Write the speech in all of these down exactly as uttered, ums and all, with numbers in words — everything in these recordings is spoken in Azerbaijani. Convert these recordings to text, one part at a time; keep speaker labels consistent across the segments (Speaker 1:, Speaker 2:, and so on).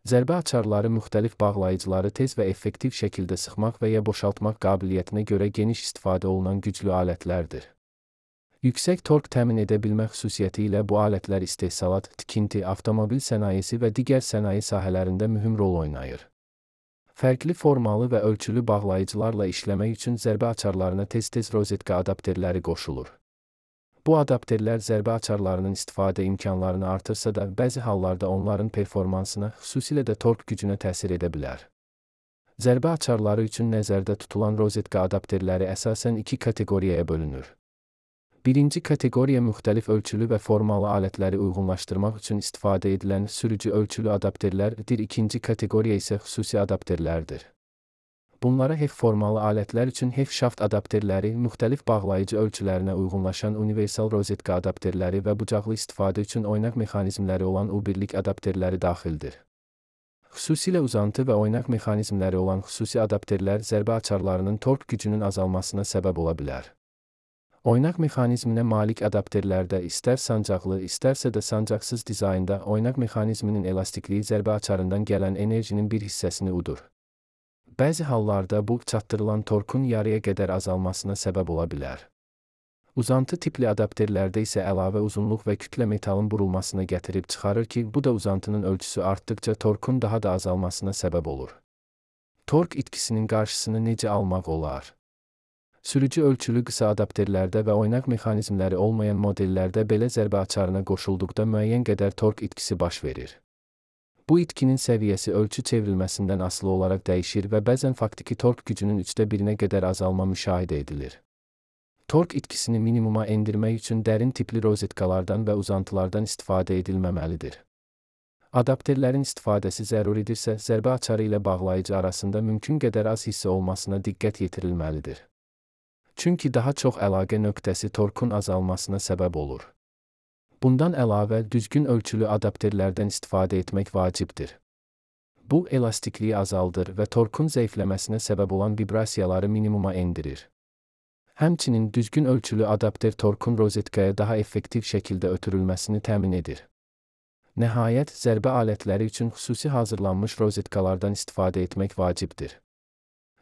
Speaker 1: Zərbə açarları müxtəlif bağlayıcıları tez və effektiv şəkildə sıxmaq və ya boşaltmaq qabiliyyətinə görə geniş istifadə olunan güclü alətlərdir. Yüksək tork təmin edə bilmə xüsusiyyəti ilə bu alətlər istehsalat, tikinti, avtomobil sənayesi və digər sənaye sahələrində mühüm rol oynayır. Fərqli formalı və ölçülü bağlayıcılarla işləmək üçün zərbə açarlarına tez-tez rozetka adapterləri qoşulur. Bu adapterlər zərbə açarlarının istifadə imkanlarını artırsa da, bəzi hallarda onların performansına, xüsusilə də tork gücünə təsir edə bilər. Zərbə açarları üçün nəzərdə tutulan rozetka adapterləri əsasən iki kateqoriyaya bölünür. Birinci kateqoriya müxtəlif ölçülü və formalı alətləri uyğunlaşdırmaq üçün istifadə edilən sürücü ölçülü adapterlərdir, ikinci kateqoriya isə xüsusi adapterlərdir. Bunlara H E F formalı alətlər üçün H E F şaft adapterləri, müxtəlif bağlayıcı ölçülərinə uyğunlaşan universal rozetka adapterləri və bucaqlı istifadə üçün oynaq mexanizmləri olan U birlik adapterləri daxildir. Xüsusilə uzantı və oynaq mexanizmləri olan xüsusi adapterlər zərbə açarlarının tork gücünün azalmasına səbəb ola bilər. Oynaq mexanizminə malik adapterlərdə istər sancaqlı, istərsə də sancaqsız dizaynda oynaq mexanizminin elastikliyi zərbə açarından gələn enerjinin bir hissəsini udur. Bəzi hallarda bu, çatdırılan torkun yarıya qədər azalmasına səbəb ola bilər. Uzantı tipli adapterlərdə isə əlavə uzunluq və kütlə metalın burulmasına gətirib çıxarır ki, bu da uzantının ölçüsü artdıqca torkun daha da azalmasına səbəb olur. Tork itkisinin qarşısını necə almaq olar? Sürücü ölçülü qısa adapterlərdə və oynaq mexanizmləri olmayan modellərdə belə zərbə açarına qoşulduqda müəyyən qədər tork itkisi baş verir. Bu itkinin səviyyəsi ölçü çevrilməsindən asılı olaraq dəyişir və bəzən faktiki tork gücünün üçdə birinə qədər azalma müşahidə edilir. Tork itkisini minimuma endirmək üçün dərin tipli rozetkalardan və uzantılardan istifadə edilməməlidir. Adapterlərin istifadəsi zəruridirsə, zərbə açarı ilə bağlayıcı arasında mümkün qədər az hissə olmasına diqqət yetirilməlidir. Çünki daha çox əlaqə nöqtəsi torkun azalmasına səbəb olur. Bundan əlavə, düzgün ölçülü adapterlərdən istifadə etmək vacibdir. Bu, elastikliyi azaldır və torkun zəifləməsinə səbəb olan vibrasiyaları minimuma endirir. Həmçinin düzgün ölçülü adapter torkun rozetkaya daha effektiv şəkildə ötürülməsini təmin edir. Nəhayət, zərbə alətləri üçün xüsusi hazırlanmış rozetkalardan istifadə etmək vacibdir.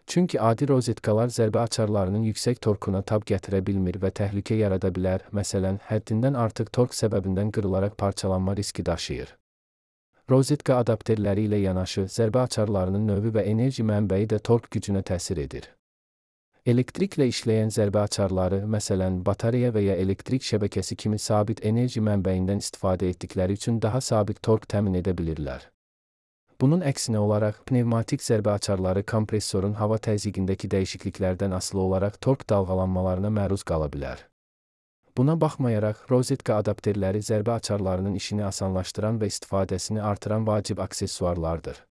Speaker 1: Çünki adi rozetkalar zərbə açarlarının yüksək torkuna tab gətirə bilmir və təhlükə yarada bilər, məsələn, həddindən artıq tork səbəbindən qırılaraq parçalanma riski daşıyır. Rozetka adapterləri ilə yanaşı, zərbə açarlarının növü və enerji mənbəyi də tork gücünə təsir edir. Elektriklə işləyən zərbə açarları, məsələn, batareya və ya elektrik şəbəkəsi kimi sabit enerji mənbəyindən istifadə etdikləri üçün daha sabit tork təmin edə bilirlər. Bunun əksinə olaraq, pnevmatik zərbə açarları kompressorun hava təzyiqindəki dəyişikliklərdən asılı olaraq tork dalğalanmalarına məruz qala bilər. Buna baxmayaraq, rozetka adapterləri zərbə açarlarının işini asanlaşdıran və istifadəsini artıran vacib aksesuarlardır.